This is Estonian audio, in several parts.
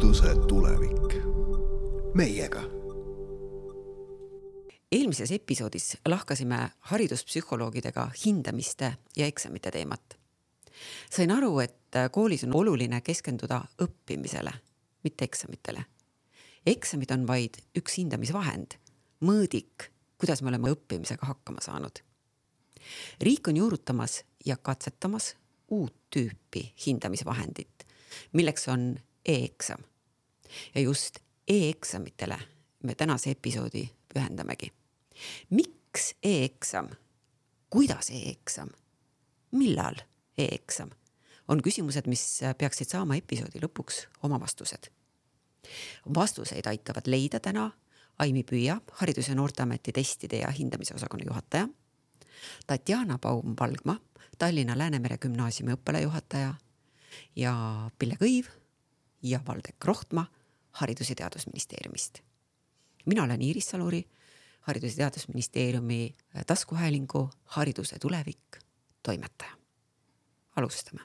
hariduse tulevik. Meiega. Eelmises episoodis lahkasime hariduspsühholoogidega hindamiste ja eksamite teemat. Sain aru, et koolis on oluline keskenduda õppimisele, mitte eksamitele. Eksamid on vaid üks hindamisvahend, mõõdik, kuidas me oleme õppimisega hakkama saanud. Riik on juurutamas ja katsetamas uut tüüpi hindamisvahendit, milleks on e-eksam. Ja just e-eksamitele me tänase episoodi pühendamegi. Miks e-eksam? Kuidas e-eksam? Millal e-eksam? On küsimused, mis peaksid saama episoodi lõpuks oma vastused. Vastuseid aitavad leida täna Aimi Püüa, Haridus- ja Noorteameti testide ja hindamise osakonna juhataja, Tatjana Baum-Valgma, Tallinna Läänemere gümnaasiumi õppelajuhataja ja Pille Kõiv ja Valdek Rohtma Haridus- ja Teadusministeeriumist. Mina olen Iiris Saluri, Haridus- ja Teadusministeeriumi taskuhäälingu Hariduse tulevik toimetaja. Alustame.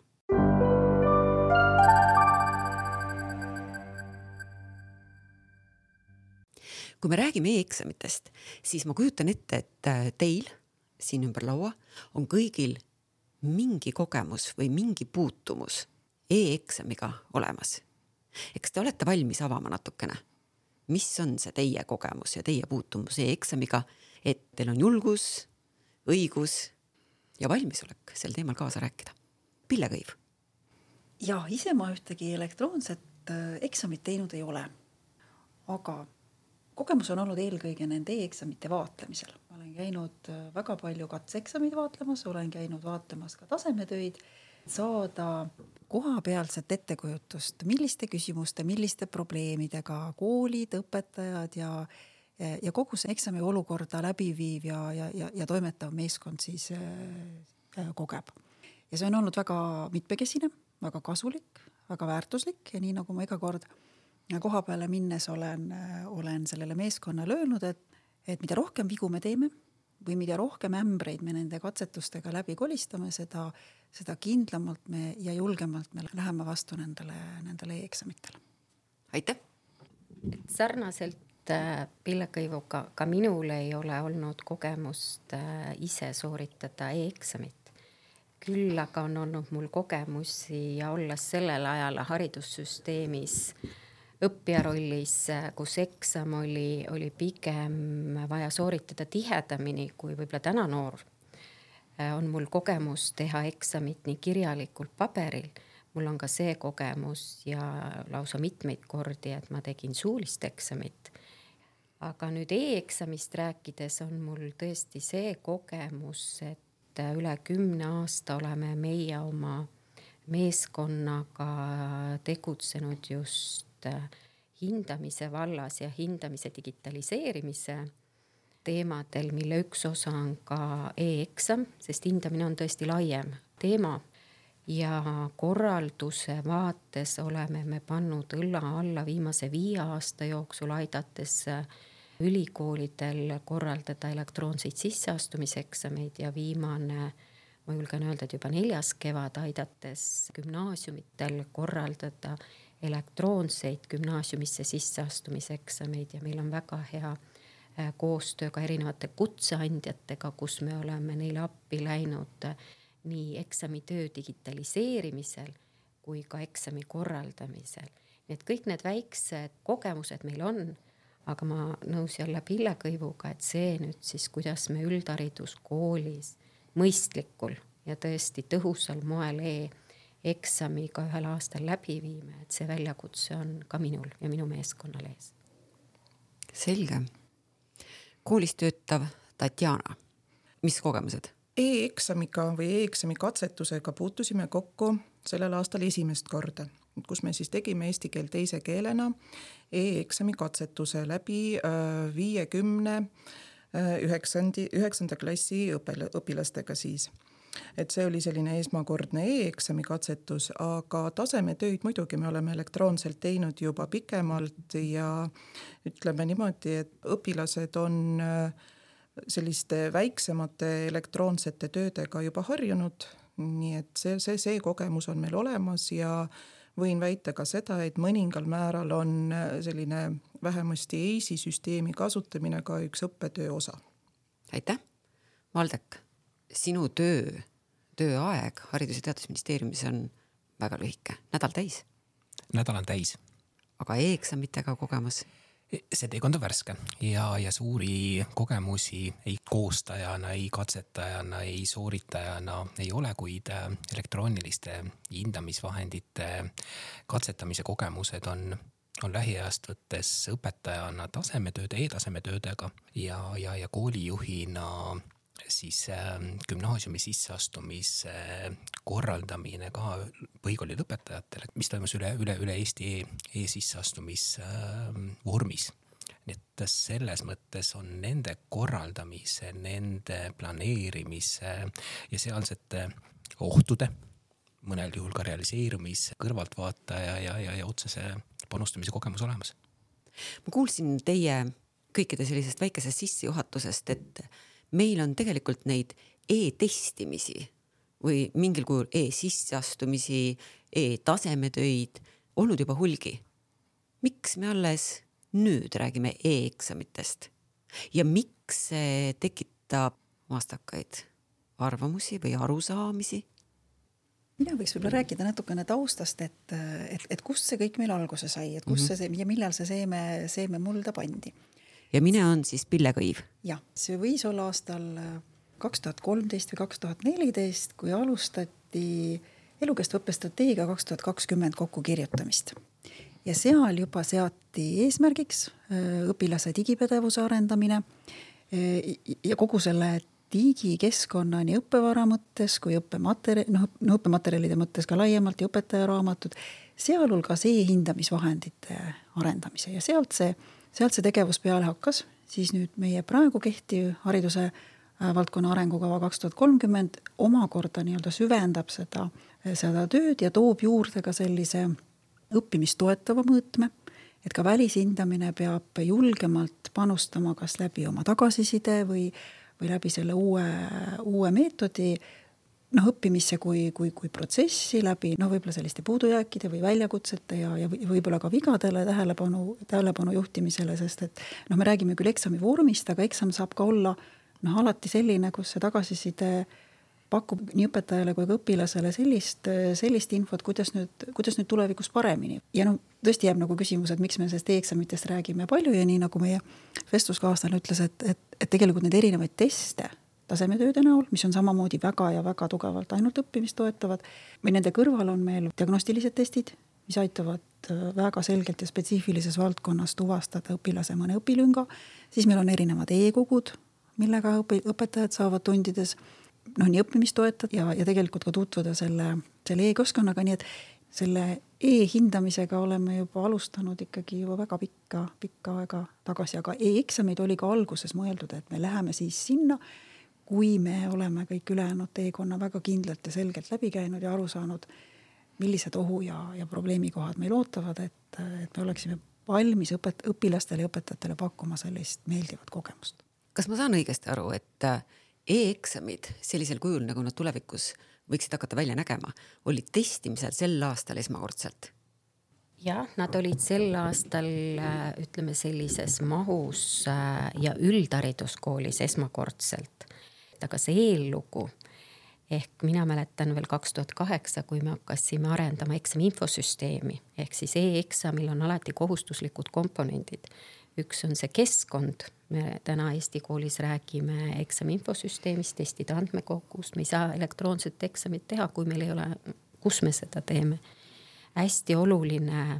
Kui me räägime e-eksamitest, siis ma kujutan ette, et teil siin ümber laua on kõigil mingi kogemus või mingi puutumus e-eksamiga olemas. Eks te olete valmis avama natukene? Mis on see teie kogemus ja teie puutumus e-eksamiga, et teil on julgus, õigus ja valmisolek sel teemal kaasa rääkida? Pille Kõiv. Ja ise ma ühtegi elektroonset eksamit teinud ei ole, aga kogemus on olnud eelkõige nende e-eksamite vaatlemisel. Ma olen käinud väga palju katseeksamid vaatlemas, olen käinud vaatlemas ka tasemetöid, saada kohapealset ettekujutust, milliste küsimuste, milliste probleemidega koolid, õpetajad ja kogu see eksami olukorda läbiviiv ja toimetav meeskond siis kogeb. Ja see on olnud väga mitmekesine, väga kasulik, väga väärtuslik ja nii nagu ma iga kord koha peale minnes olen sellele meeskonnale öelnud, et mida rohkem vigu me teeme või mida rohkem ämbreid me nende katsetustega läbi kolistame, seda kindlamalt me ja julgemalt me läheme vastu nendele e-eksamitele. Aitäh! Sarnaselt Pille Kõivuga ka minul ei ole olnud kogemust ise sooritada e-eksamit. Küll aga on olnud mul kogemusi ja olles sellel ajal haridussüsteemis õppija rollis, kus eksam oli pigem vaja sooritada tihedamini kui võib-olla täna noor. On mul kogemus teha eksamit nii kirjalikult paberil. Mul on ka see kogemus ja lausa mitmeid kordi, et ma tegin suulist eksamit. Aga nüüd e-eksamist rääkides on mul tõesti see kogemus, et üle 10 aasta oleme meie oma meeskonnaga tegutsenud just hindamise vallas ja hindamise digitaliseerimise teemadel, mille üks osa on ka e-eksam, sest hindamine on tõesti laiem teema ja korralduse vaates oleme me pannud õlla alla viimase 5 aasta jooksul aidates ülikoolidel korraldada elektroonseid sisseastumiseksameid ja viimane, ma julgen öelda, et juba 4. kevad aidates gümnaasiumitel korraldada elektroonseid gümnaasiumisse sisseastumiseksameid ja meil on väga hea koostöö ka erinevate kutseandjatega, kus me oleme neile appi läinud nii eksamitöö digitaliseerimisel kui ka eksami korraldamisel. Nii et kõik need väiksed kogemused meil on, aga ma nõus jälle Pille Kõivuga, et see nüüd siis, kuidas me üldhariduskoolis mõistlikul ja tõesti tõhusal moel eksamiga ühel aastal läbi viime, et see väljakutse on ka minul ja minu meeskonnal ees. Selge. Koolis töötav Tatjana. Mis kogemused? E-eksamiga või e-eksami katsetusega puutusime kokku sellel aastal esimest korda, kus me siis tegime eesti keel teise keelena e-eksami katsetuse läbi 50 9. klassi õpilastega siis. Et see oli selline esmakordne e-eksami katsetus, aga tasemetöid muidugi me oleme elektroonselt teinud juba pikemalt ja ütleme niimoodi, et õpilased on selliste väiksemate elektroonsete töödega juba harjunud, nii et see kogemus on meil olemas ja võin väita ka seda, et mõningal määral on selline vähemasti EIS-i süsteemi kasutamine ka üks õppetöö osa. Aitäh! Valdek, sinu tööaeg Haridus- ja Teadusministeeriumis on väga lühike, nädal täis. Nädal on täis. Aga e-eksamitega kogemus? See teekond on värske ja suuri kogemusi ei koostajana, ei katsetajana, ei sooritajana ei ole, kuid elektrooniliste hindamisvahendite katsetamise kogemused on lähiajast võttes õpetajana tasemetööde, e-tasemetöödega ja koolijuhina siis gümnaasiumi sisseastumise korraldamine ka põhikooli lõpetajatele, mis toimus üle Eesti e-sisseastumisvormis. Nii et selles mõttes on nende korraldamise, nende planeerimise ja sealsete ohtude, mõnel juhul ka realiseerumise, kõrvaltvaataja ja otsese panustamise kogemus olemas. Ma kuulsin teie kõikide sellisest väikesest sissejuhatusest, et meil on tegelikult neid e-testimisi või mingil kujul e-sisseastumisi, e-tasemetöid olnud juba hulgi. Miks me alles nüüd räägime e-eksamitest? Ja miks see tekitab vastakaid arvamusi või arusaamisi? Mina võiks võib-olla rääkida natukene taustast, et kust see kõik meil alguse sai, et kust see ja millal see seeme mulda pandi. Ja mine on siis Pille Kõiv. Jah, see võis olla aastal 2013 või 2014, kui alustati elukestva õppestrateegia 2020 kokkukirjutamist. Ja seal juba seati eesmärgiks õpilase digipädevuse arendamine ja kogu selle digikeskkonna nii õppevara mõttes kui õppematerjalide mõttes ka laiemalt ja õpetajaraamatud, sealhulgas e-hindamisvahendite arendamise ja sealt see tegevus peale hakkas, siis nüüd meie praegu kehtiv hariduse valdkonna arengukava 2030 omakorda nii-öelda süvendab seda tööd ja toob juurde ka sellise õppimist toetava mõõtme, et ka välishindamine peab julgemalt panustama kas läbi oma tagasiside või läbi selle uue meetodi õppimisse kui protsessi läbi võib-olla selliste puudujääkide või väljakutsete ja võib-olla ka vigadele tähelepanu juhtimisele, sest et me räägime küll eksami vormist, aga eksam saab ka olla alati selline, kus see tagasiside pakub nii õpetajale kui ka õpilasele sellist infot, kuidas nüüd tulevikus paremini. Ja tõesti jääb küsimus, et miks me sellest e-eksamitest räägime palju ja nii nagu meie vestluskaaslane ütles, et tegelikult need erinevaid teste tasemetööde näol, mis on samamoodi väga ja väga tugevalt ainult õppimist toetavad, või nende kõrval on meil diagnostilised testid, mis aitavad väga selgelt ja spetsiifilises valdkonnas tuvastada õpilase mõne õpilünga, siis meil on erinevad e-kogud, millega õpetajad saavad tundides nii õppimist toetada ja tegelikult ka tutvuda selle e-keskkonnaga, nii et selle e-hindamisega oleme juba alustanud ikkagi juba väga pikka aega tagasi, aga e-eksamid oli ka alguses mõeldud, et me läheme siis sinna, kui me oleme kõik ülejäänud teekonna väga kindlalt ja selgelt läbi käinud ja aru saanud, millised ohu ja probleemikohad meil ootavad, et me oleksime valmis õpilastele ja õpetajatele pakkuma sellist meeldivat kogemust. Kas ma saan õigesti aru, et e-eksamid sellisel kujul, nagu nad tulevikus võiksid hakata välja nägema, olid testimisel sel aastal esmakordselt? Jah, nad olid sel aastal, ütleme sellises mahus ja üldhariduskoolis esmakordselt. Aga see eellugu, ehk mina mäletan veel 2008, kui me hakkasime arendama eksami infosüsteemi, ehk siis e-eksamil on alati kohustuslikud komponendid. Üks on see keskkond, me täna Eesti koolis räägime eksami infosüsteemist, testide andmekogust, me ei saa elektroonset eksamit teha, kui meil ei ole, kus me seda teeme. Hästi oluline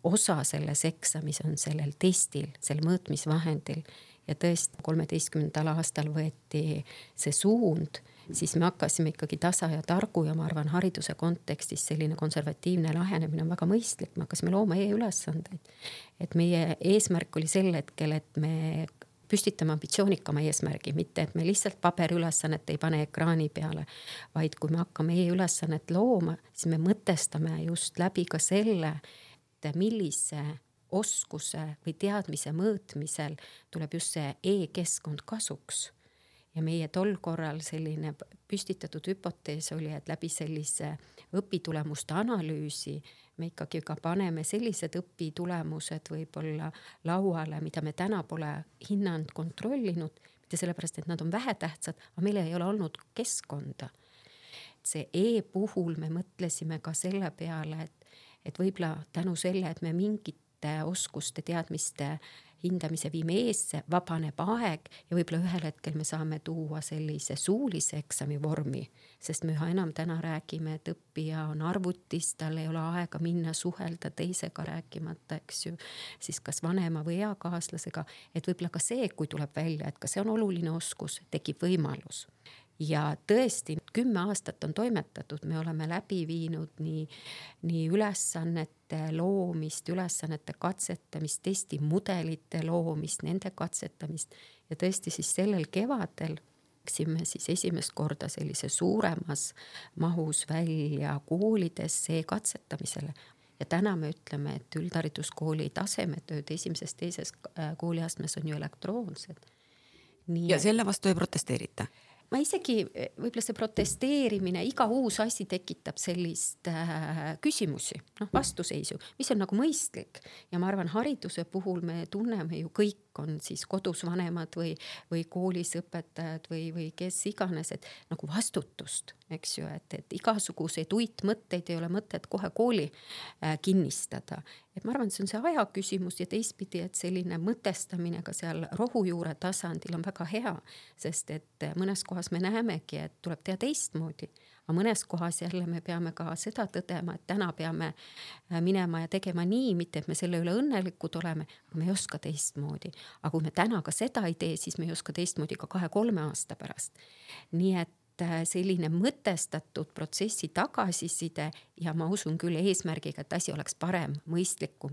osa selles eksamis on sellel testil, sel mõõtmisvahendil ja tõesti 13. aastal võeti see suund, siis me hakkasime ikkagi tasa ja targu ja ma arvan hariduse kontekstis selline konservatiivne lähenemine on väga mõistlik, me hakkasime looma e-ülesandeid. Et meie eesmärk oli sel hetkel, et me püstitame ambitsioonikama eesmärgi, mitte et me lihtsalt paberiülesannet ei pane ekraani peale, vaid kui me hakkame e-ülesannet looma, siis me mõtestame just läbi ka selle, et millise oskuse või teadmise mõõtmisel tuleb just see e-keskkond kasuks. Ja meie tol korral selline püstitatud hüpotees oli, et läbi sellise õpitulemuste analüüsi me ikkagi ka paneme sellised õpitulemused võib-olla lauale, mida me täna pole hinnanud, kontrollinud, mitte sellepärast, et nad on vähetähtsad, aga meil ei ole olnud keskkonda. See puhul me mõtlesime ka selle peale, et võib-olla tänu selle, et me mingite oskuste, teadmiste hindamise viime eesse, vabaneb aeg ja võib-olla ühel hetkel me saame tuua sellise suulise eksami vormi, sest me üha enam täna räägime, et õppija on arvutis, tal ei ole aega minna suhelda teisega rääkimata, eks ju, siis kas vanema või eakaaslasega, et võib-olla ka see, kui tuleb välja, et ka see on oluline oskus, tekib võimalus. Ja tõesti 10 aastat on toimetatud, me oleme läbi viinud nii ülesannete loomist, ülesannete katsetamist, testimudelite loomist, nende katsetamist ja tõesti siis sellel kevadel läksime siis esimest korda sellise suuremas mahus välja koolidesse katsetamisele. Ja täna me ütleme, et üldhariduskooli tasemetööd esimesest teises kooliastmes on ju elektroonsed. Ja selle vastu ei protesteerita? Ma isegi, võib-olla see protesteerimine, iga uus asi tekitab sellist küsimusi, vastuseisu, mis on nagu mõistlik. Ja ma arvan, hariduse puhul me tunneme ju kõik on siis kodus vanemad või koolis õpetajad või kes iganes, et nagu vastutust, eks ju, et igasuguseid uitmõtteid ei ole mõtet kohe kooli kinnistada. Et ma arvan, see on see aja küsimus ja teistpidi, et selline mõtestamine ka seal rohujuure tasandil on väga hea, sest et mõnes kohas me näemegi, et tuleb teha teistmoodi. Aga mõnes kohas jälle me peame ka seda tõdema, et täna peame minema ja tegema nii, mitte et me selle üle õnnelikud oleme, aga me ei oska teistmoodi. Aga kui me täna ka seda ei tee, siis me ei oska teistmoodi ka 2-3 aasta pärast. Nii et selline mõtestatud protsessi tagasiside ja ma usun küll eesmärgiga, et asi oleks parem, mõistlikum.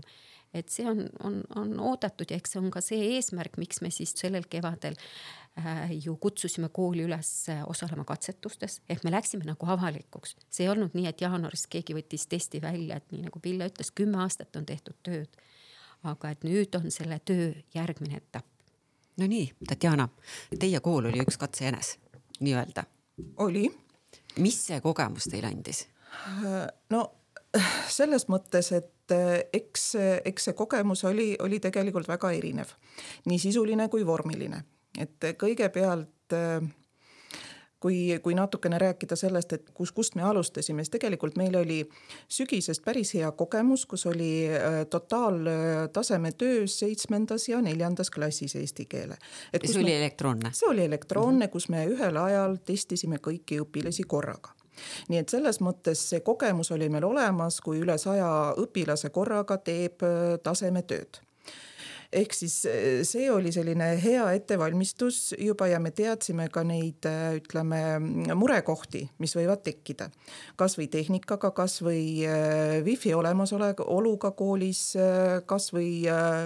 Et see on oodatud ja eks see on ka see eesmärk, miks me siis sellel kevadel ju kutsusime kooli üles osalema katsetustes, ehk me läksime nagu avalikuks. See ei olnud nii, et jaanuaris keegi võttis testi välja, et nii nagu Pille ütles, 10 aastat on tehtud tööd. Aga et nüüd on selle töö järgmine etapp. No nii, Tatjana, teie kool oli üks katsejänes, nii öelda. Oli. Mis see kogemus teil andis? No selles mõttes, et eks see kogemus oli tegelikult väga erinev. Nii sisuline kui vormiline. Et kõigepealt, kui natukene rääkida sellest, et kust me alustasime, siis tegelikult meil oli sügisest päris hea kogemus, kus oli totaaltaseme töös 7. ja 4. klassis eesti keele. See oli elektroonne? See oli elektroonne, kus me ühel ajal testisime kõiki õpilasi korraga. Nii et selles mõttes see kogemus oli meil olemas, kui üle 100 õpilase korraga teeb tasemetööd. Ehk siis see oli selline hea ettevalmistus juba ja me teadsime ka neid, ütleme, murekohti, mis võivad tekkida. Kas või tehnikaga, kas või wifi olemasoluga koolis, kas või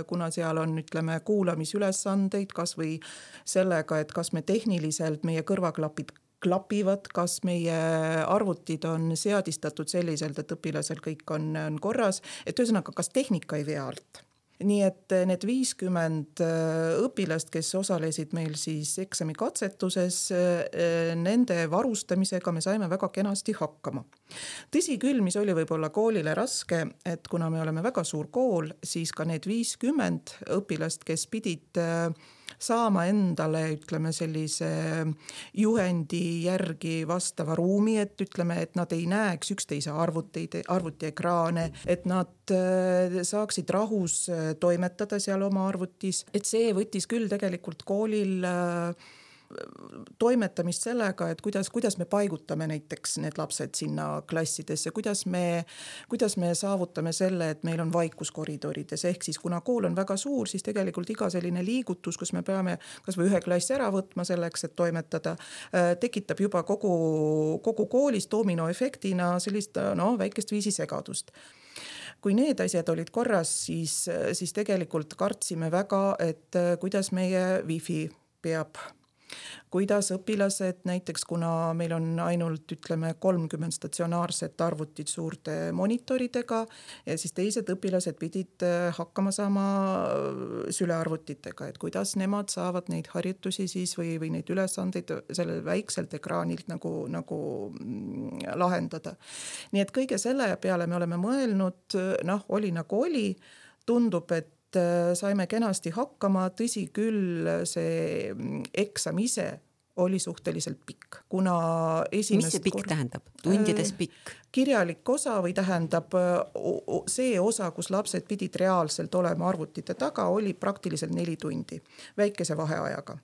kuna seal on, ütleme, kuulamisülesandeid, kas või sellega, et kas me tehniliselt meie kõrvaklapid klapivad, kas meie arvutid on seadistatud selliselt, et õpilasel kõik on korras, et ühesõnaga, kas tehnika ei vea alt. Nii et need 50 õpilast, kes osalesid meil siis eksami katsetuses, nende varustamisega me saime väga kenasti hakkama. Tõsi küll, mis oli võib-olla koolile raske, et kuna me oleme väga suur kool, siis ka need 50 õpilast, kes pidid saama endale, ütleme, sellise juhendi järgi vastava ruumi, et ütleme, et nad ei näeks üksteise arvutiekraane, et nad saaksid rahus toimetada seal oma arvutis. Et see võttis küll tegelikult koolil toimetamist sellega, et kuidas me paigutame näiteks need lapsed sinna klassidesse, kuidas me saavutame selle, et meil on vaikus koridorides, ehk siis kuna kool on väga suur, siis tegelikult iga selline liigutus, kus me peame kas või ühe klassi ära võtma selleks, et toimetada, tekitab juba kogu koolis dominoefektina sellist väikest viisi segadust. Kui need asjad olid korras, siis tegelikult kartsime väga, et kuidas meie wifi peab kuidas õpilased näiteks, kuna meil on ainult 30 statsionaarset arvutit suurte monitoridega ja siis teised õpilased pidid hakkama saama sülearvutitega, et kuidas nemad saavad neid harjutusi siis või neid ülesandeid sellel väikselt ekraanilt nagu lahendada. Nii et kõige selle peale me oleme mõelnud, oli nagu oli, tundub, et saime kenasti hakkama, tõsi küll, see eksam ise oli suhteliselt pikk, kuna mis see pikk tähendab? Tundides pikk? Kirjalik osa või tähendab see osa, kus lapsed pidid reaalselt olema arvutite taga, oli praktiliselt 4 tundi, väikese vaheajaga.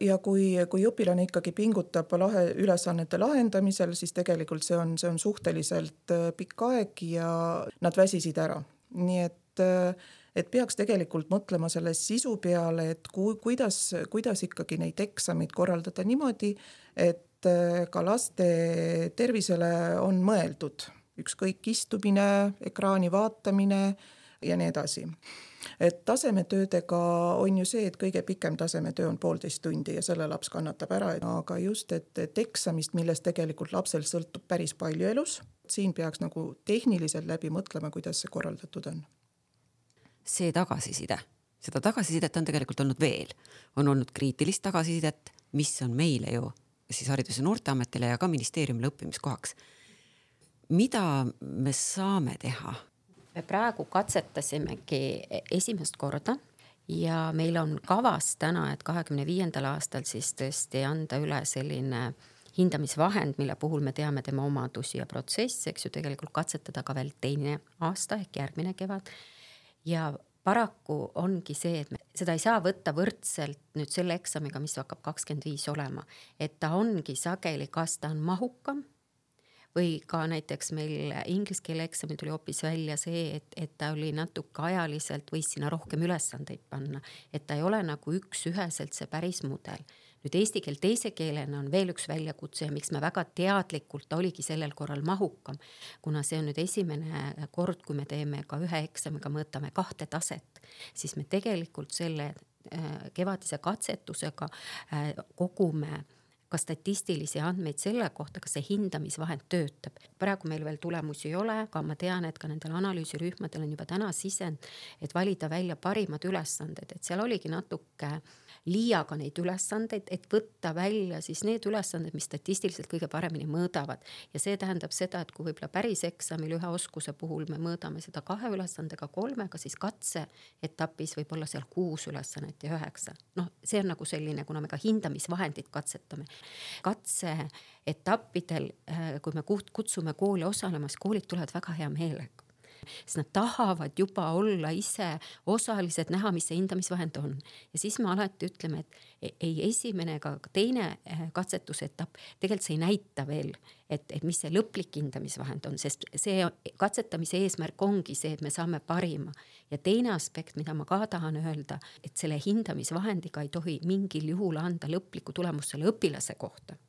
Ja kui õpilane ikkagi pingutab ülesannete lahendamisel, siis tegelikult see on suhteliselt pikk aeg ja nad väsisid ära. Nii et peaks tegelikult mõtlema selle sisu peale, et kuidas ikkagi neid eksameid korraldada niimoodi, et ka laste tervisele on mõeldud. Ükskõik istumine, ekraani vaatamine ja nii edasi. Et tasemetöödega on ju see, et kõige pikem tasemetöö on 1,5 tundi ja selle laps kannatab ära. Aga just, et eksamist, millest tegelikult lapsel sõltub päris palju elus, siin peaks nagu tehniliselt läbi mõtlema, kuidas see korraldatud on. See seda tagasisidet on tegelikult olnud veel. On olnud kriitilist tagasisidet, mis on meile ju siis Haridus- ja Noorteametile ja ka ministeeriumile õppimiskohaks. Mida me saame teha? Me praegu katsetasimegi esimest korda ja meil on kavas täna, et 2025. aastal siis tõesti anda üle selline hindamisvahend, mille puhul me teame tema omadusi ja protsesse, eks ju, tegelikult katsetada ka veel teine aasta ehk järgmine kevad. Ja paraku ongi see, et seda ei saa võtta võrdselt nüüd selle eksamiga, mis hakkab 25 olema. Et ta ongi sageli, kas ta on mahukam või ka näiteks meil inglise keele eksami tuli hoopis välja see, et ta oli natuke ajaliselt, võis sinna rohkem ülesandeid panna. Et ta ei ole nagu üheselt see päris mudel. Nüüd eesti keel teise keelena on veel üks väljakutse ja miks me väga teadlikult oligi sellel korral mahukam, kuna see on nüüd esimene kord, kui me teeme ka ühe eksamiga, mõõtame 2 taset, siis me tegelikult selle kevadise katsetusega kogume ka statistilisi andmeid selle kohta, kas see hindamisvahend töötab. Praegu meil veel tulemusi ei ole, aga ma tean, et ka nendel analüüsirühmadel on juba täna sisend, et valida välja parimad ülesanded, et seal oligi natuke liiaga neid ülesandeid, et võtta välja siis need ülesanded, mis statistiliselt kõige paremini mõõdavad. Ja see tähendab seda, et kui võib-olla päris eksamil ühe oskuse puhul me mõõdame seda 2 ülesandega 3, siis katse etapis võib olla seal 6 ülesannet ja 9. See on nagu selline, kuna me ka hindamisvahendid katsetame. Katse etappidel, kui me kutsume kooli osalemas, koolid tulevad väga hea meelega. Sest nad tahavad juba olla ise osalised, näha, mis see hindamisvahend on. Ja siis me alati ütleme, et ei esimene ega teine katsetusetapp, tegelikult see ei näita veel, et mis see lõplik hindamisvahend on, sest see katsetamise eesmärk ongi see, et me saame parima. Ja teine aspekt, mida ma ka tahan öelda, et selle hindamisvahendiga ei tohi mingil juhul anda lõplikku tulemust selle õpilase kohta.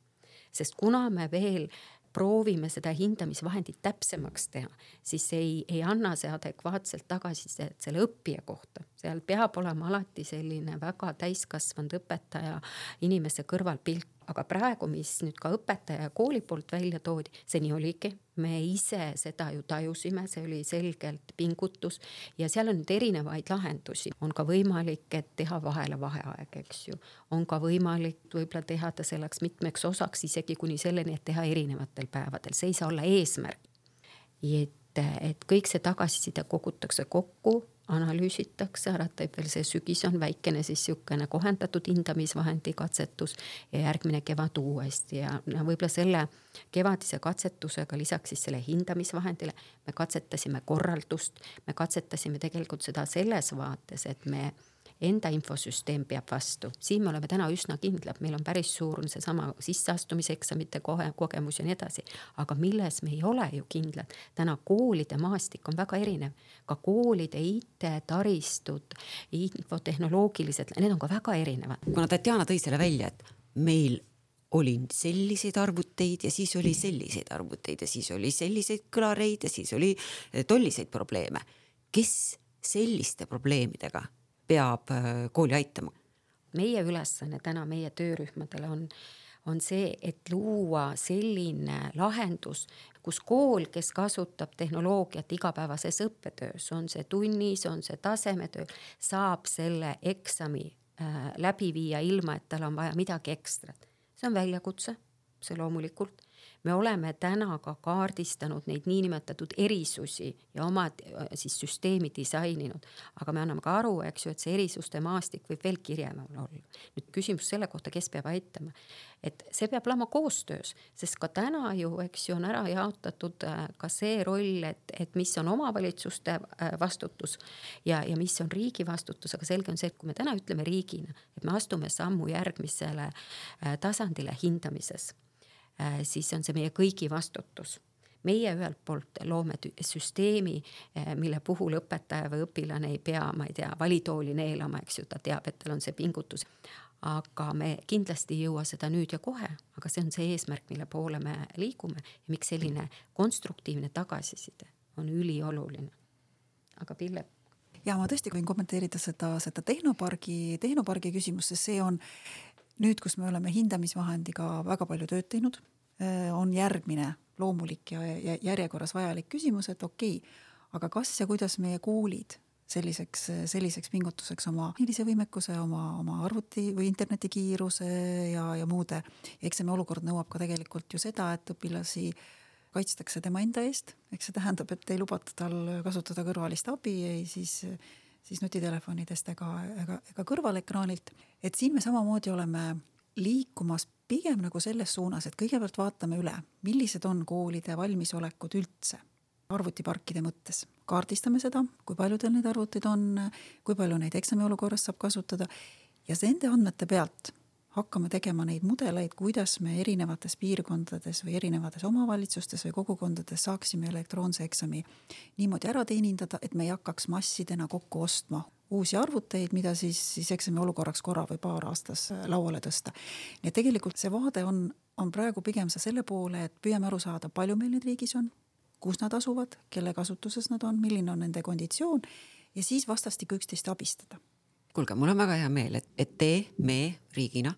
Sest kuna me veel proovime seda hindamisvahendit täpsemaks teha, siis ei anna see adekvaatselt tagasisidet selle õppija kohta. Seal peab olema alati selline väga täiskasvanud õpetaja inimese kõrvalpilt. Aga praegu, mis nüüd ka õpetaja ja kooli poolt välja toodi, see nii oligi. Me ise seda ju tajusime, see oli selgelt pingutus ja seal on nüüd erinevaid lahendusi. On ka võimalik, et teha vahele vaheaeg, eks ju. On ka võimalik võib-olla teha ta selleks mitmeks osaks, isegi kuni selleni, et teha erinevatel päevadel. See ei saa olla eesmärk. Et kõik see tagasiside kogutakse kokku, analüüsitakse, teeb veel see sügis on väikene siis siukene kohendatud hindamisvahendi katsetus ja järgmine kevad uuesti ja võib-olla selle kevadise katsetusega lisaks siis selle hindamisvahendile me katsetasime korraldust, me katsetasime tegelikult seda selles vaates, et me enda infosüsteem peab vastu. Siin me oleme täna üsna kindlad, meil on päris suur see sama sisseastumiseksamite kogemus ja nii edasi, aga milles me ei ole ju kindlad. Täna koolide maastik on väga erinev, ka koolide IT-taristud, infotehnoloogilised, need on ka väga erinevad. Kuna Tatjana tõi selle välja, et meil oli selliseid arvuteid ja siis oli selliseid arvuteid ja siis oli selliseid kõlareid ja siis oli tolliseid probleeme. Kes selliste probleemidega peab kooli aitama? meie ülesanne täna meie töörühmadele on see, et luua selline lahendus, kus kool, kes kasutab tehnoloogiat igapäevases õppetöös, on see tunnis, on see tasemetöö, saab selle eksami läbi viia ilma, et tal on vaja midagi ekstrat. See on väljakutse, see loomulikult. Me oleme täna ka kaardistanud neid niinimetatud erisusi ja omad siis süsteemi disaininud, aga me anname ka aru, eks ju, et see erisuste maastik võib veel kirjemal olla. Nüüd küsimus selle kohta, kes peab aitama, et see peab olema koostöös, sest ka täna ju, eks ju, on ära jaotatud ka see roll, et mis on omavalitsuste vastutus ja mis on riigi vastutus, aga selge on see, et kui me täna ütleme riigina, et me astume sammu järgmisele tasandile hindamises, siis on see meie kõigi vastutus. Meie ühelt poolt loome süsteemi, mille puhul õpetaja või õpilane ei pea, ma ei tea, valitooli neelama, eks ju, ta teab, et tal on see pingutus. Aga me kindlasti ei jõua seda nüüd ja kohe, aga see on see eesmärk, mille poole me liigume ja miks selline konstruktiivne tagasiside on ülioluline. Aga Pille? Ja ma tõesti võin kommenteerida seda tehnopargi küsimust, sest see on nüüd, kus me oleme hindamisvahendiga väga palju tööd teinud, on järgmine loomulik ja järjekorras vajalik küsimus, et okei, aga kas ja kuidas meie koolid selliseks pingutuseks oma hiilise võimekuse, oma arvuti või internetikiiruse ja muude. Ja eks see olukord nõuab ka tegelikult ju seda, et õpilasi kaitstakse tema enda eest. Eks see tähendab, et ei lubata tal kasutada kõrvalist abi, siis nutitelefonidest ega kõrvalekraanilt. Et siin me samamoodi oleme liikumas pigem nagu selles suunas, et kõigepealt vaatame üle, millised on koolide valmisolekud üldse arvutiparkide mõttes. Kaardistame seda, kui paljudel need arvutid on, kui palju neid eksami olukorras saab kasutada ja nende andmete pealt hakkame tegema neid mudeleid, kuidas me erinevates piirkondades või erinevates omavalitsustes või kogukondades saaksime elektroonse eksami niimoodi ära teenindada, et me ei hakkaks massidena kokku ostma uusi arvuteid, mida siis eksami olukorraks korra või paar aastas lauale tõsta. Nii et tegelikult see vaade on praegu pigem selle poole, et püüame aru saada, palju meil need riigis on, kus nad asuvad, kelle kasutuses nad on, milline on nende konditsioon ja siis vastastikku üksteist abistada. Kuulge, mul on väga hea meel, et me riigina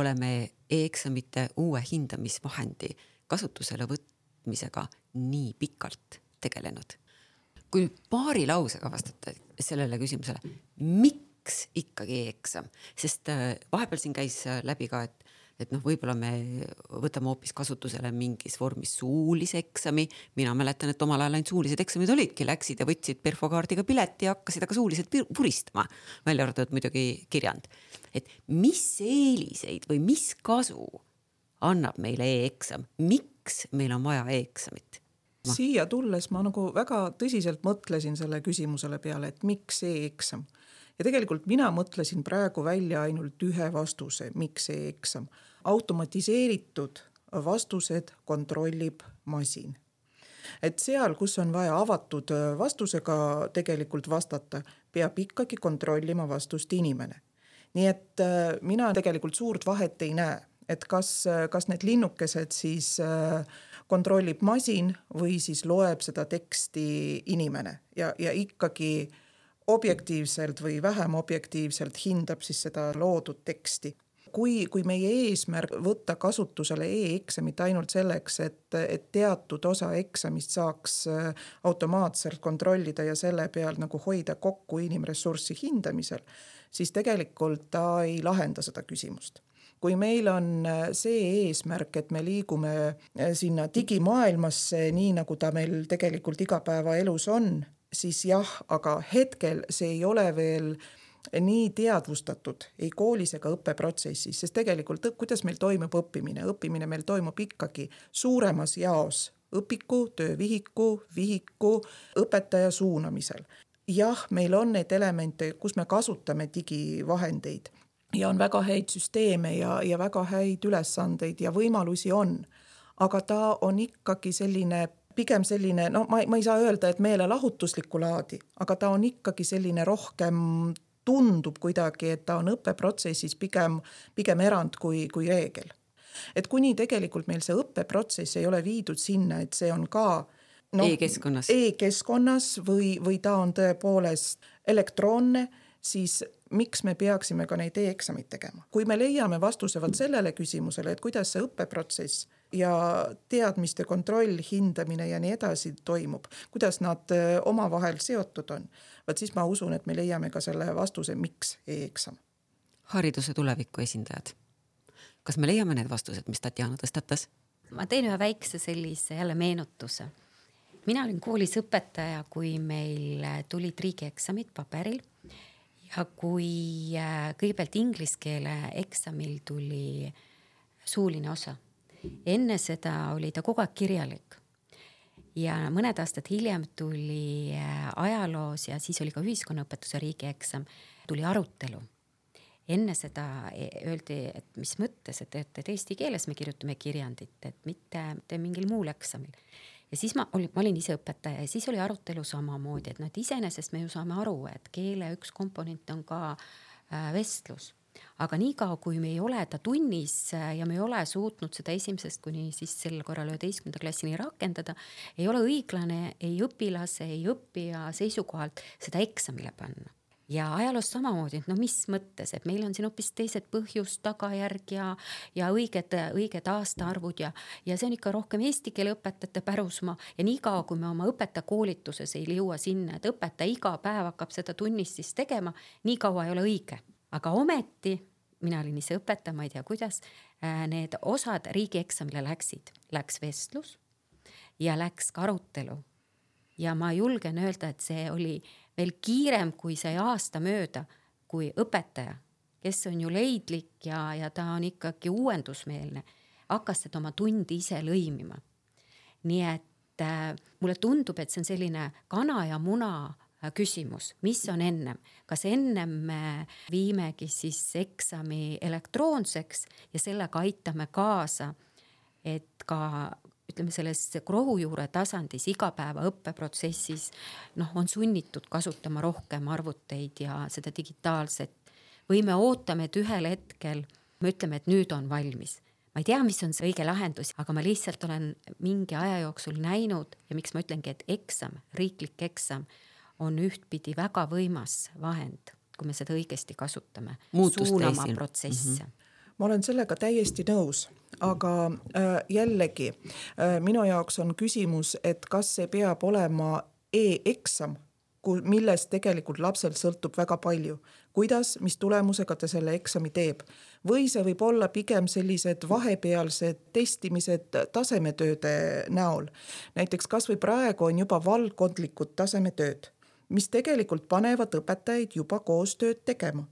oleme e-eksamite uue hindamisvahendi kasutusele võtmisega nii pikalt tegelenud. Kui paari lausega vastate sellele küsimusele, miks ikkagi e-eksam? Sest vahepeal siin käis läbi ka, et võib-olla me võtame hoopis kasutusele mingis vormis suulise eksami. Mina mäletan, et omal ajal ainult suulised eksamid olidki, läksid ja võtsid perfokaardiga pileti ja hakkasid aga suuliselt puristama, välja arvatud muidugi kirjand. Et mis eeliseid või mis kasu annab meile e-eksam? Miks meil on vaja e-eksamit? Siia tulles ma nagu väga tõsiselt mõtlesin selle küsimusele peale, et miks e-eksam? Ja tegelikult mina mõtlesin praegu välja ainult ühe vastuse, miks e-eksam. Automatiseeritud vastused kontrollib masin. Et seal, kus on vaja avatud vastusega tegelikult vastata, peab ikkagi kontrollima vastust inimene. Nii et mina tegelikult suurt vahet ei näe, et kas need linnukesed siis kontrollib masin või siis loeb seda teksti inimene ja ikkagi objektiivselt või vähem objektiivselt hindab siis seda loodud teksti. Kui meie eesmärk võtta kasutusele e-eksamit ainult selleks, et teatud osa eksamist saaks automaatselt kontrollida ja selle peal nagu hoida kokku inimressurssi hindamisel, siis tegelikult ta ei lahenda seda küsimust. Kui meil on see eesmärk, et me liigume sinna digimaailmasse, nii nagu ta meil tegelikult igapäevaelus on, siis jah, aga hetkel see ei ole veel nii teadvustatud ei koolis ega õppeprotsessis, sest tegelikult kuidas meil toimub õppimine? Õppimine meil toimub ikkagi suuremas jaos õpiku, töövihiku, vihiku, õpetaja suunamisel. Jah, meil on need elemente, kus me kasutame digivahendeid ja on väga häid süsteeme ja väga häid ülesandeid ja võimalusi on, aga ta on ikkagi pigem selline, ma ei saa öelda, et meelelahutuslikku laadi, aga ta on ikkagi selline rohkem tundub kuidagi, et ta on õppeprotsessis pigem erand kui reegel. Et kuni tegelikult meil see õppeprotsess ei ole viidud sinna, et see on ka e-keskkonnas või ta on tõepoolest elektroonne, siis miks me peaksime ka neid e-eksamid tegema? Kui me leiame vastuse sellele küsimusele, et kuidas see õppeprotsess ja teadmiste kontroll, hindamine ja nii edasi toimub, kuidas nad omavahel seotud on, siis ma usun, et me leiame ka selle vastuse, miks e-eksam. Hariduse tuleviku esindajad. Kas me leiame need vastused, mis Tatjana tõstatas? Ma teen ühe väikse sellise jälle meenutuse. Mina olin koolis õpetaja, kui meil tulid riigieksamid paberil ja kui kõigepealt inglise keele eksamil tuli suuline osa. Enne seda oli ta kogu aeg kirjalik ja mõned aastad hiljem tuli ajaloos ja siis oli ka ühiskonnaõpetuse riigieksam, tuli arutelu. Enne seda öeldi, et mis mõttes, et eesti keeles me kirjutame kirjandit, et mitte mingil muul eksamil. Ja siis ma olin ise õpetaja ja siis oli arutelu samamoodi, et iseenesest me ju saame aru, et keele üks komponent on ka vestlus. Aga niikaua, kui me ei ole ta tunnis ja me ei ole suutnud seda esimesest kuni siis sel korral 11. klassini rakendada, ei ole õiglane ei õpilase, ei õppija seisukohalt seda eksamile panna. Ja ajaloos samamoodi, et mis mõttes, et meil on siin hoopis teised põhjus, tagajärg ja õiged aastaarvud ja see on ikka rohkem eesti keele õpetajate pärusmaa ja niikaua, kui me oma õpetajakoolituses ei jõua sinna, et õpetaja iga päev hakkab seda tunnis siis tegema, niikaua ei ole õige. Aga ometi, mina olin ise õpetaja, ma ei tea kuidas, need osad riigieksamile läks vestlus ja läks ka arutelu. Ja ma julgen öelda, et see oli veel kiirem, kui sai aasta mööda, kui õpetaja, kes on ju leidlik ja ta on ikkagi uuendusmeelne, hakkas seda oma tundi ise lõimima. Nii et mulle tundub, et see on selline kana ja muna küsimus, mis on ennem. Kas ennem me viimegi siis eksami elektroonseks ja sellega aitame kaasa, et ka ütleme selles rohujuure tasandis igapäeva õppeprotsessis on sunnitud kasutama rohkem arvuteid ja seda digitaalset. Või me ootame, et ühel hetkel me ütleme, et nüüd on valmis. Ma ei tea, mis on see õige lahendus, aga ma lihtsalt olen mingi aja jooksul näinud ja miks ma ütlengi, et eksam, riiklik eksam on ühtpidi väga võimas vahend, kui me seda õigesti kasutame. Suunama protsesse. Ma olen sellega täiesti nõus, aga jällegi minu jaoks on küsimus, et kas see peab olema e-eksam, millest tegelikult lapsel sõltub väga palju. Kuidas, mis tulemusega ta selle eksami teeb? Või see võib olla pigem sellised vahepealsed testimised tasemetööde näol. Näiteks kas või praegu on juba valdkondlikud tasemetööd, mis tegelikult panevad õpetajaid juba koostööd tegema.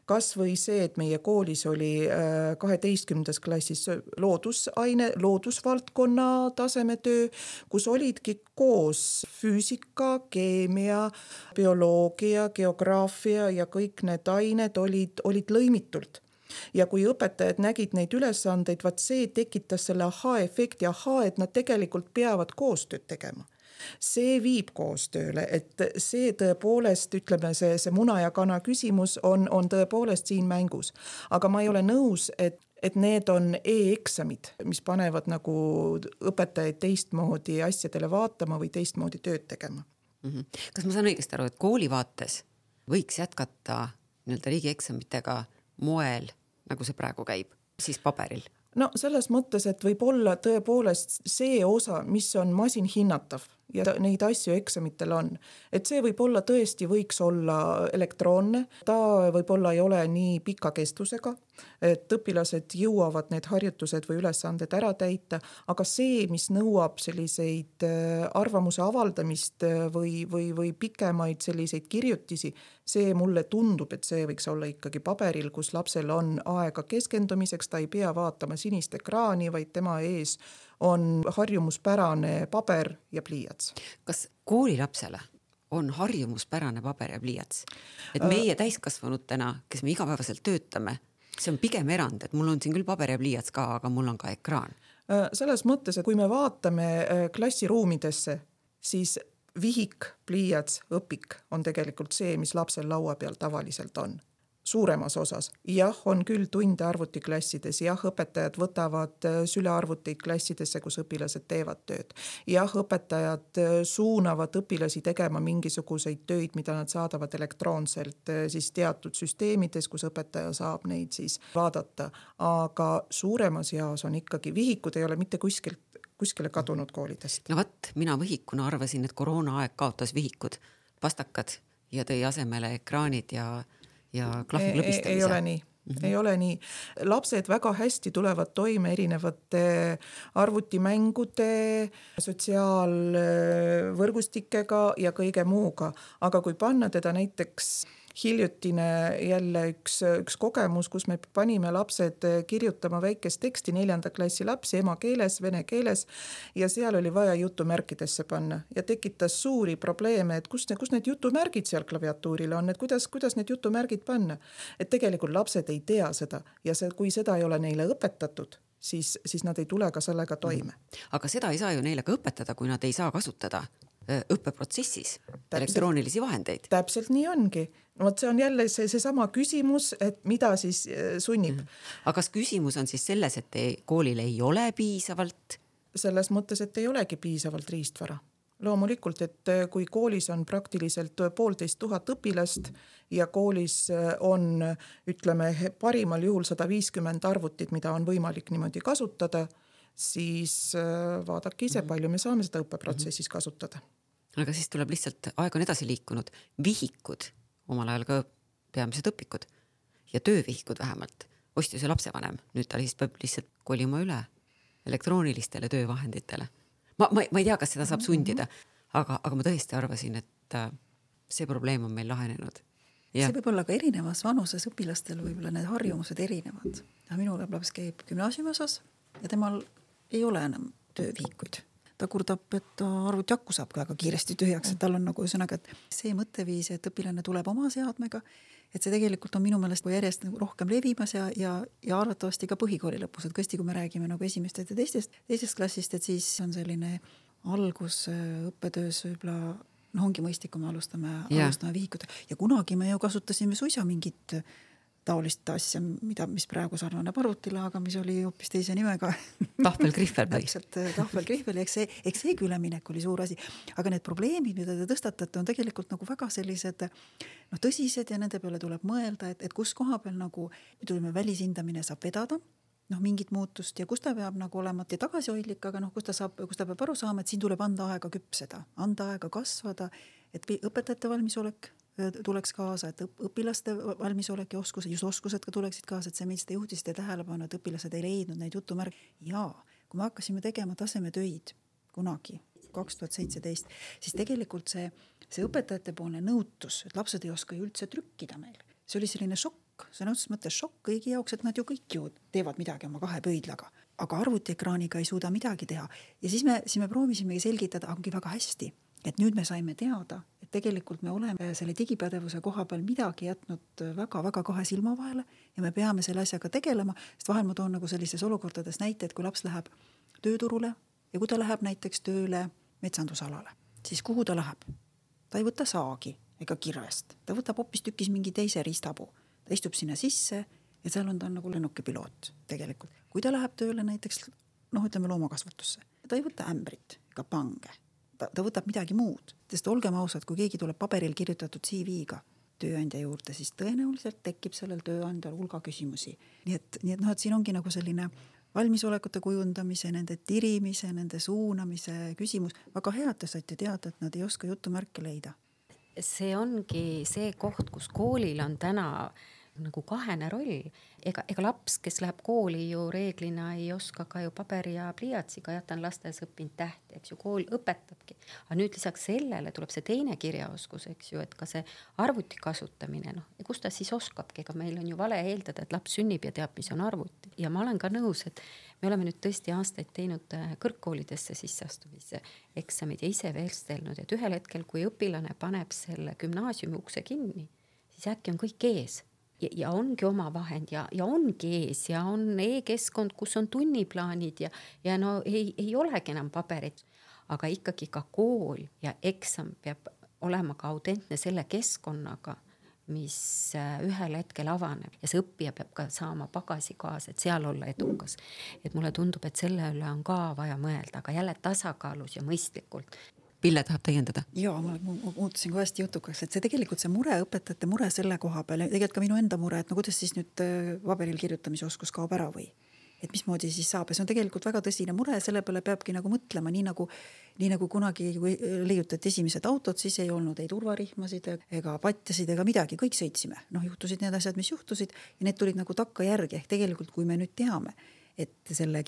Kas või see, et meie koolis oli 12. klassis loodusvaldkonna tasemetöö, kus olidki koos füüsika, keemia, bioloogia, geograafia ja kõik need ained olid lõimitult. Ja kui õpetajad nägid neid ülesandeid, see tekitas selle aha-efekti, et nad tegelikult peavad koostööd tegema. See viib koostööle, et see tõepoolest, ütleme, see muna ja kana küsimus on tõepoolest siin mängus. Aga ma ei ole nõus, et need on e-eksamid, mis panevad nagu õpetajaid teistmoodi asjadele vaatama või teistmoodi tööd tegema. Kas ma saan õigesti aru, et kooli vaates võiks jätkata riigieksamitega moel, nagu see praegu käib, siis paberil? No selles mõttes, et võib olla tõepoolest see osa, mis on masin hinnatav ja neid asju eksamitel on. Et see võib olla tõesti võiks olla elektroonne, ta võib-olla ei ole nii pika kestusega, et õpilased jõuavad need harjutused või ülesanded ära täita, aga see, mis nõuab selliseid arvamuse avaldamist või pikemaid selliseid kirjutisi, see mulle tundub, et see võiks olla ikkagi paberil, kus lapsel on aega keskendumiseks, ta ei pea vaatama sinist ekraani, vaid tema ees on harjumuspärane paber ja pliiats. Kas koolilapsele on harjumuspärane paber ja pliiats? Et meie täiskasvanutena, kes me igapäevaselt töötame, see on pigem erand, et mul on siin küll paber ja pliiats ka, aga mul on ka ekraan. Selles mõttes, et kui me vaatame klassiruumidesse, siis vihik, pliiats, õpik on tegelikult see, mis lapsel laua peal tavaliselt on. suuremas osas. Jah, on küll tunde arvutiklassides, jah, õpetajad võtavad sülearvuteid klassidesse, kus õpilased teevad tööd. Jah, õpetajad suunavad õpilasi tegema mingisuguseid töid, mida nad saadavad elektroonselt siis teatud süsteemides, kus õpetaja saab neid siis vaadata. Aga suuremas jaos on ikkagi vihikud, ei ole mitte kuskile kadunud koolidest. No võt, mina vihikuna arvasin, et koroona aeg kaotas vihikud, pastakad ja tõi asemele ekraanid ja klahvi klõbistamise. Ei ole nii. Ei ole nii. Lapsed väga hästi tulevad toime erinevate arvutimängude, sotsiaalvõrgustikega ja kõige muuga. Aga kui panna teda näiteks hiljutine jälle üks kogemus, kus me panime lapsed kirjutama väikest teksti, 4. klassi lapsi emakeeles, vene keeles ja seal oli vaja jutumärkidesse panna ja tekitas suuri probleeme, et kus need jutumärgid seal klaviatuuril on, et kuidas need jutumärgid panna. Et tegelikult lapsed ei tea seda ja kui seda ei ole neile õpetatud, siis nad ei tule ka sellega toime. Aga seda ei saa ju neile ka õpetada, kui nad ei saa kasutada õppeprotsessis elektroonilisi vahendeid. Täpselt nii ongi. No, see on jälle seesama küsimus, et mida siis sunnib. Aga kas küsimus on siis selles, et koolil ei ole piisavalt? Selles mõttes, et ei olegi piisavalt riistvara. Loomulikult, et kui koolis on praktiliselt 1500 õpilast ja koolis on, ütleme, parimal juhul 150 arvutit, mida on võimalik niimoodi kasutada, siis vaadake ise, palju me saame seda õppeprotsessis kasutada. Aga siis tuleb lihtsalt, aeg on edasi liikunud, vihikud, omal ajal ka peamised õpikud ja töövihikud vähemalt, ostis ju lapsevanem, nüüd ta peab lihtsalt kolima üle elektroonilistele töövahenditele. Ma ei tea, kas seda saab sundida, aga ma tõesti arvasin, et see probleem on meil lahenenud. Ja. See võib olla ka erinevas vanuses õpilastel, võib-olla need harjumused erinevad. Minul laps käib gümnaasiumi osas ja temal ei ole enam töövihikuid. Ta kurdab, et arvutiakku saab väga kiiresti tühjaks, et tal on nagu ühesõnaga, et see mõtteviis, et õpilane tuleb oma seadmega, et see tegelikult on minu meelest järjest rohkem levimas ja arvatavasti ka põhikooli lõpus, et kõsti, kui me räägime nagu esimestest ja teisest klassist, et siis on selline algus õppetöös võib-olla, ongi mõistlik, kui me alustame vihikut. Ja kunagi me ju kasutasime suisa mingit taolist asja, mis praegu sarnaneb arvutile, aga mis oli hoopis teise nimega. Tahvelgrihvel. Täpselt, tahvelgrihvel, eks see üleminek oli suur asi. Aga need probleemid, mida te tõstatate, on tegelikult nagu väga sellised tõsised ja nende peale tuleb mõelda, et kus koha peal nagu välishindamine saab vedada, mingit muutust ja kus ta peab nagu olema ja tagasihoidlik, aga kus ta peab aru saama, et siin tuleb anda aega küpseda, anda aega kasvada, et õpetajate valmisolek tuleks kaasa, et õpilaste valmisolek ja oskused ka tuleksid kaasa, et see meid seda juhtisite tähelepanu, et õpilased ei leidnud neid jutumärke. Ja kui me hakkasime tegema tasemetöid kunagi, 2017, siis tegelikult see õpetajate poolne nõutus, et lapsed ei oska ju üldse trükkida meil. See oli selline šokk, see on otseses mõttes šokk kõigi jaoks, et nad ju kõik ju teevad midagi oma 2 pöidlaga, aga arvutiekraaniga ei suuda midagi teha. Ja siis me proovisimegi selgitada, ongi väga hästi, et nüüd me saime teada, et tegelikult me oleme selle digipädevuse koha peal midagi jätnud väga-väga 2 silma vahele ja me peame selle asjaga tegelema, sest vahel ma toon nagu sellises olukordades näite, et kui laps läheb tööturule ja kui ta läheb näiteks tööle metsandusalale, siis kuhu ta läheb? Ta ei võta saagi ega kirvest, ta võtab hoopis tükis mingi teise riistapuu, ta istub sinna sisse ja seal on ta nagu lennukipiloot tegelikult. Kui ta läheb tööle näiteks, ütleme loomakasvatusse, ta ei võta ämbrit ega pange. Ta võtab midagi muud, sest olgem ausad, kui keegi tuleb paberil kirjutatud CV-ga tööandja juurde, siis tõenäoliselt tekib sellel tööandjal hulga küsimusi. Nii et siin ongi nagu selline valmisolekute kujundamise, nende tirimise, nende suunamise küsimus. Väga hea, et te saite teada, et nad ei oska jutumärke leida. See ongi see koht, kus koolil on täna nagu kahene roll. Ega laps, kes läheb kooli ju reeglina ei oska ka ju paberi ja pliiatsiga, jätan lastes õppinud tähti, eks ju, kool õpetabki. Aga nüüd lisaks sellele tuleb see teine kirjaoskus, eks ju, et ka see arvuti kasutamine, kus ta siis oskabki, ega meil on ju vale eeldada, et laps sünnib ja teab, mis on arvuti. Ja ma olen ka nõus, et me oleme nüüd tõesti aastaid teinud kõrgkoolidesse sisseastumise eksamid ja ise veelstelnud, et ühel hetkel, kui õpilane paneb selle gümnaasiumi ukse kinni, siis äkki on kõik ees. Ja ongi oma vahend ja ongi ees ja on e-keskkond, kus on tunniplaanid ja ei olegi enam paberit. Aga ikkagi ka kool ja eksam peab olema ka autentne selle keskkonnaga, mis ühel hetkel avaneb ja see õppija peab ka saama pagasi kaasa, et seal olla edukas. Et mulle tundub, et selle üle on ka vaja mõelda, aga jälle tasakaalus ja mõistlikult. Pille tahab täiendada? Jaa, ma muutusin ka hästi jutukaks, et see tegelikult see mure, õpetajate mure selle koha peal, tegelikult ka minu enda mure, et no kuidas siis nüüd paberil kirjutamise oskus kaob ära või? Et mismoodi siis saab ja see on tegelikult väga tõsine mure, selle peale peabki nagu mõtlema, nii nagu kunagi kui leiutati esimesed autod, siis ei olnud ei turvarihmasid ega patjasid ega midagi, kõik sõitsime. Juhtusid need asjad, mis juhtusid ja need tulid nagu takka järgi, ehk tegelikult kui me nüüd teame, et selle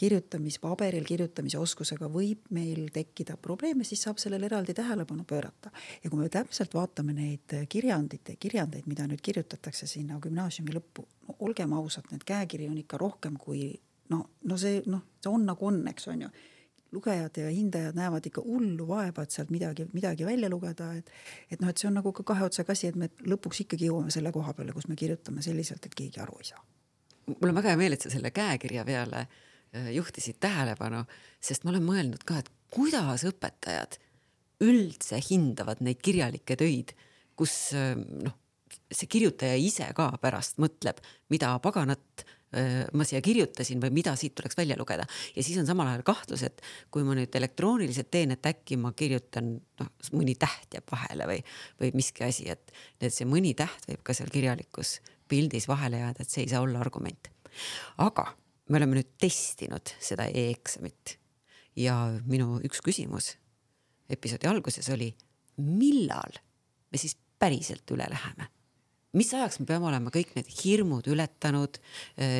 paberil kirjutamise oskusega võib meil tekkida probleeme, siis saab sellele eraldi tähelepanu pöörata. Ja kui me täpselt vaatame neid kirjandeid, mida nüüd kirjutatakse sinna gümnaasiumi lõppu, no olgem ausad, need käekiri on ikka rohkem kui see on nagu on, eks on ju. Lugejad ja hindajad näevad ikka hullu vaeva, et sealt midagi välja lugeda, et see on nagu ka kahe otsaga asi, et me lõpuks ikkagi jõuame selle koha peale, kus me kirjutame selliselt, et keegi aru ei saa. Mul on väga hea meel, et sa selle käekirja peale juhtisid tähelepanu, sest ma olen mõelnud ka, et kuidas õpetajad üldse hindavad neid kirjalikke töid, kus see kirjutaja ise ka pärast mõtleb, mida paganat ma siia kirjutasin või mida siit tuleks välja lugeda. Ja siis on samal ajal kahtlus, et kui ma nüüd elektrooniliselt teen, et äkki ma kirjutan, mõni täht jääb vahele või miski asi, et see mõni täht võib ka seal kirjalikus pildis vahele jääda, et see ei saa olla argument. Aga me oleme nüüd testinud seda e-eksamit ja minu üks küsimus episoodi alguses oli, millal me siis päriselt üle läheme? Mis ajaks me peame olema kõik need hirmud ületanud,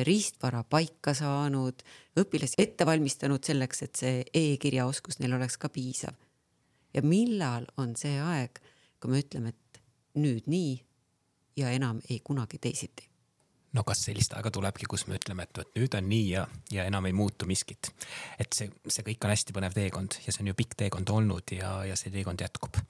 riistvara paika saanud, õpilasi ette valmistanud selleks, et see e-kirjaoskus neil oleks ka piisav. Ja millal on see aeg, kui me ütleme, et nüüd nii ja enam ei kunagi teisiti? No kas sellist aega tulebki, kus me ütleme, et nüüd on nii ja enam ei muutu miskit. Et see kõik on hästi põnev teekond ja see on ju pikk teekond olnud ja see teekond jätkub.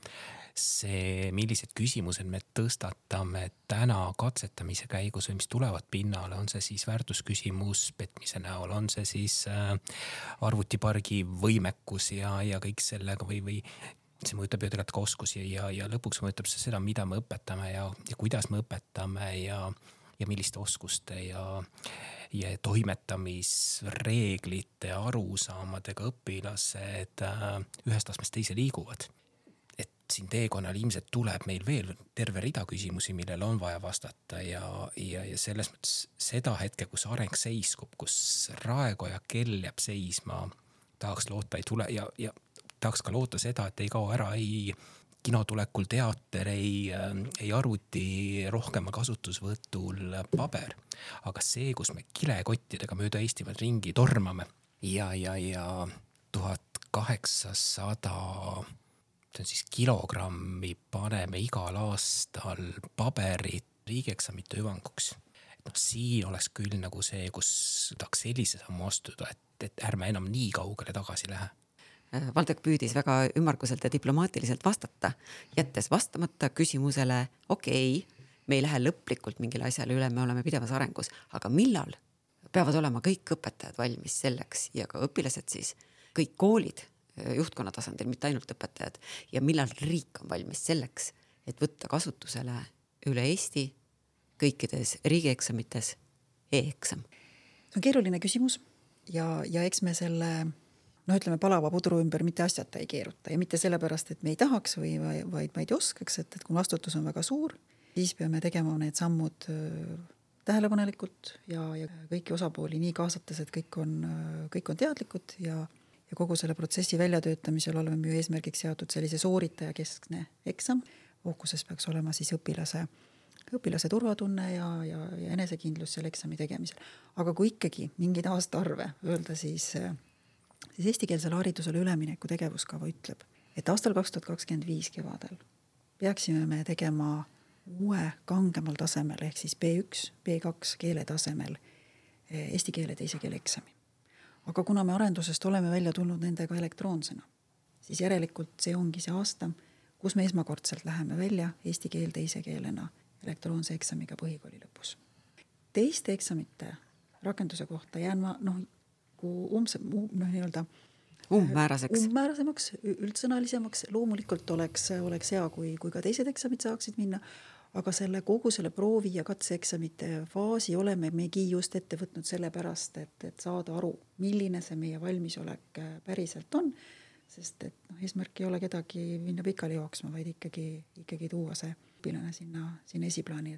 See, millised küsimused me tõstatame täna katsetamise käigus või mis tulevad pinnale, on see siis väärtusküsimus petmise näol, on see siis arvutipargi võimekus ja kõik sellega või see mõjutab ju tegelikult ka oskusi ja lõpuks mõjutab see seda, mida me õpetame ja kuidas me õpetame ja milliste oskuste ja toimetamisreeglite arusaamadega õpilased ühest astmest teise liiguvad. Et siin teekonnal ilmselt tuleb meil veel terve rida küsimusi, millele on vaja vastata ja selles mõttes seda hetke, kus areng seiskub, kus raekoja kell jääb seisma, tahaks loota ei tule ja tahaks ka loota seda, et ei kao ära ei kinotulekul teater, ei arvuti rohkemal kasutusvõtul paber. Aga see, kus me kilekottidega mööda Eestimaad ringi tormame ja 1800 see on siis kilogrammi paneme igal aastal paberit riigieksamite hüvanguks. Siin oleks küll nagu see, kus tahaks sellise sammu astuda, et ärme enam nii kaugele tagasi lähe. Valdek püüdis väga ümmarguselt ja diplomaatiliselt vastata, jättes vastamata küsimusele, okei, me ei lähe lõplikult mingile asjale üle, me oleme pidevas arengus, aga millal peavad olema kõik õpetajad valmis selleks ja ka õpilased siis, kõik koolid, juhtkonna tasandil, mitte ainult õpetajad ja millal riik on valmis selleks, et võtta kasutusele üle Eesti kõikides riigieksamites e-eksam? See on keeruline küsimus ja eks me selle ütleme palava pudru ümber mitte asjata ei keeruta ja mitte sellepärast, et me ei tahaks vaid ma ei oskaks, et kui vastutus on väga suur, siis peame tegema need sammud tähelepanelikult ja kõiki osapooli nii kaasates, et kõik on teadlikud ja kogu selle protsessi väljatöötamisel oleme ju eesmärgiks seatud sellise sooritaja keskne eksam. Fookuses peaks olema siis õpilase turvatunne ja enesekindlus selle eksami tegemisel. Aga kui ikkagi mingid aastaarve öelda, siis eestikeelsele haridusele ülemineku tegevuskava ütleb, et aastal 2025 kevadel peaksime me tegema uue kangemal tasemel ehk siis B1, B2 keele tasemel eesti keele teise keele eksami. Aga kuna me arendusest oleme välja tulnud nendega elektroonsena, siis järelikult see ongi see aasta, kus me esmakordselt läheme välja eesti keel teise keelena elektroonse eksamiga põhikooli lõpus. Teiste eksamite rakenduse kohta jään ma umbmäärasemaks, üldsõnalisemaks. Loomulikult oleks hea, kui ka teised eksamid saaksid minna, aga kogu selle proovi ja katseeksamite faasi oleme megi just ette võtnud sellepärast, et saada aru, milline see meie valmisolek päriselt on, sest et eesmärk ei ole kedagi minna pikali jooksma, vaid ikkagi tuua see õpilane sinna esiplaani.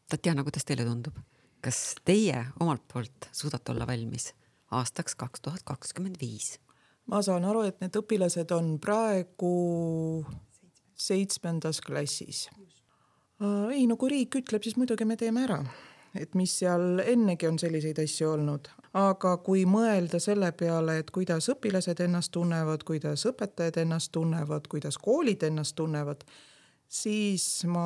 Tatjana, kuidas teile tundub? Kas teie omalt poolt suudate olla valmis aastaks 2025? Ma saan aru, et need õpilased on praegu 7. klassis. Ei, no kui riik ütleb, siis muidugi me teeme ära, et mis seal ennegi on selliseid asju olnud. Aga kui mõelda selle peale, et kuidas õpilased ennast tunnevad, kuidas õpetajad ennast tunnevad, kuidas koolid ennast tunnevad, siis ma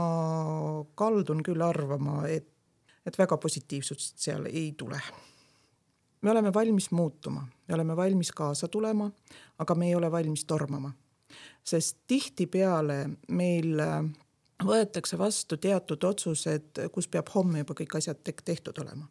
kaldun küll arvama, et väga positiivsust seal ei tule. Me oleme valmis muutuma, me oleme valmis kaasa tulema, aga me ei ole valmis tormama. Sest tihtipeale meil võetakse vastu teatud otsused, kus peab homme juba kõik asjad tehtud olema.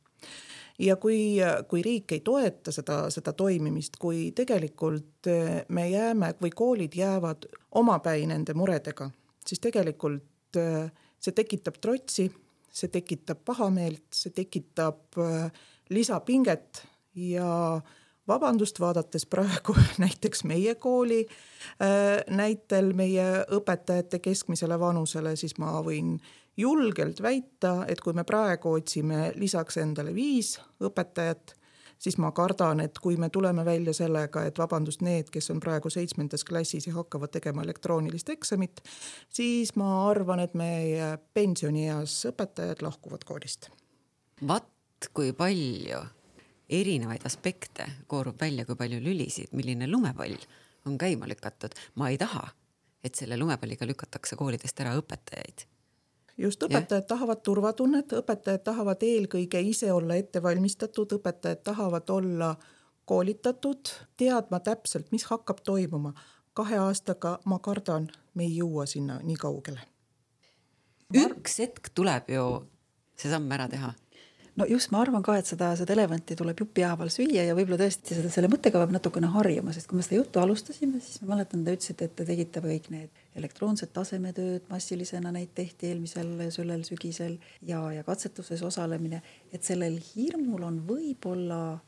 Ja kui riik ei toeta seda toimimist, kui tegelikult me jääme või koolid jäävad omapäi nende muredega, siis tegelikult see tekitab trotsi, see tekitab pahameelt, see tekitab lisapinget ja vabandust, vaadates praegu näiteks meie kooli näitel meie õpetajate keskmisele vanusele, siis ma võin julgelt väita, et kui me praegu otsime lisaks endale 5 õpetajat, siis ma kardan, et kui me tuleme välja sellega, et vabandust, need, kes on praegu 7. klassis ja hakkavad tegema elektroonilist eksamit, siis ma arvan, et meie pensionieas õpetajad lahkuvad koolist. Vaat kui palju erinevaid aspekte koorub välja, kui palju lülisid, milline lumepall on käima lükatud. Ma ei taha, et selle lumepalliga lükatakse koolidest ära õpetajaid. Just õpetajad tahavad turvatunnet, õpetajad tahavad eelkõige ise olla ettevalmistatud, õpetajad tahavad olla koolitatud, teadma täpselt, mis hakkab toimuma. 2 aastaga ma kardan, me ei jõua sinna nii kaugele. Üks hetk tuleb ju see samm ära teha. No just, ma arvan ka, et seda elevanti tuleb jupi haaval süüa ja võib-olla tõesti selle mõttega peab natukene harjuma, sest kui me seda juttu alustasime, siis ma mäletan, te ütlesite, et te tegite kõik need elektroonsed tasemetööd, massilisena neid tehti eelmisel sellel sügisel ja katsetuses osalemine, et sellel hirmul on võib-olla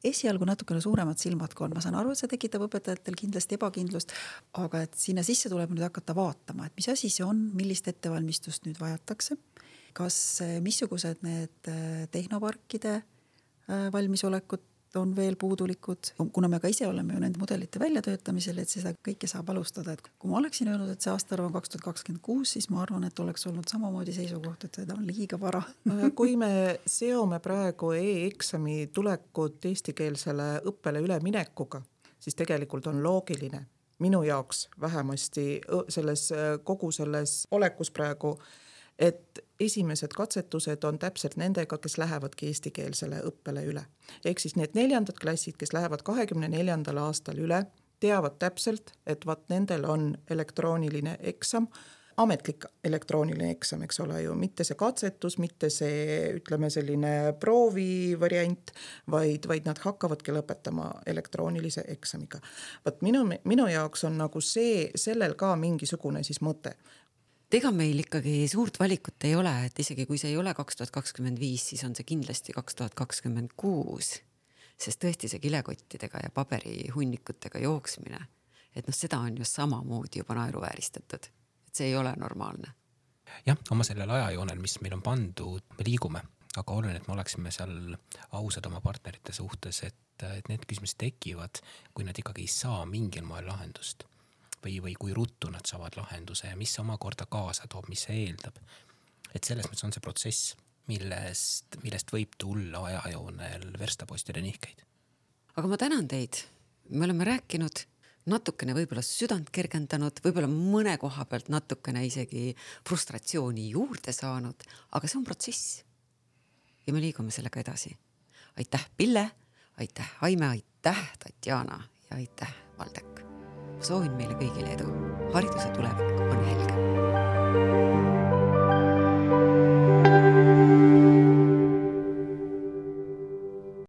esialgu natukene suuremad silmad kui on. Ma saan aru, et see tekitab õpetajatel kindlasti ebakindlust, aga et sinna sisse tuleb nüüd hakata vaatama, et mis asi see on, millist ettevalmistust nüüd vajatakse. Kas missugused need tehnoparkide valmisolekut on veel puudulikud, kuna me ka ise oleme ju nende mudelite väljatöötamisel, et seda kõike saab alustada. Et kui ma oleksin öelnud, et see aastarv on 2026, siis ma arvan, et oleks olnud samamoodi seisukoht, et seda on liiga vara. Kui me seome praegu e-eksami tulekut eestikeelsele õppele üleminekuga, siis tegelikult on loogiline minu jaoks vähemasti kogu selles olekus praegu, et esimesed katsetused on täpselt nendega, kes lähevadki eestikeelsele õppele üle. Ehk siis need 4. klassid, kes lähevad 24. aastal üle, teavad täpselt, et nendel on elektrooniline eksam, ametlik elektrooniline eksam, eks ole ju, mitte see katsetus, mitte see, ütleme, selline proovivariant, vaid nad hakkavadki lõpetama elektroonilise eksamiga. Minu jaoks on nagu sellel ka mingisugune siis mõte. Ega meil ikkagi suurt valikut ei ole, et isegi kui see ei ole 2025, siis on see kindlasti 2026, sest tõesti see kilekottidega ja paberihunnikutega jooksmine, et seda on ju samamoodi juba naeruvääristatud, et see ei ole normaalne. Jah, oma sellel ajajoonel, mis meil on pandud, me liigume, aga oluline, et me oleksime seal ausad oma partnerite suhtes, et need küsimused tekivad, kui nad ikkagi ei saa mingil moel lahendust. Või kui ruttu nad saavad lahenduse ja mis omakorda kaasa toob, mis see eeldab. Et selles mõttes on see protsess, millest võib tulla ajajoonel verstapostide nihkeid. Aga ma tänan teid. Me oleme rääkinud natukene võib-olla südant kergendanud, võib-olla mõne koha pealt natukene isegi frustratsiooni juurde saanud, aga see on protsess. Ja me liigume sellega edasi. Aitäh, Pille, aitäh, Aime, aitäh, Tatjana ja aitäh, Valdek. Soovin meile kõigile edu. Hariduse tulevik on helge.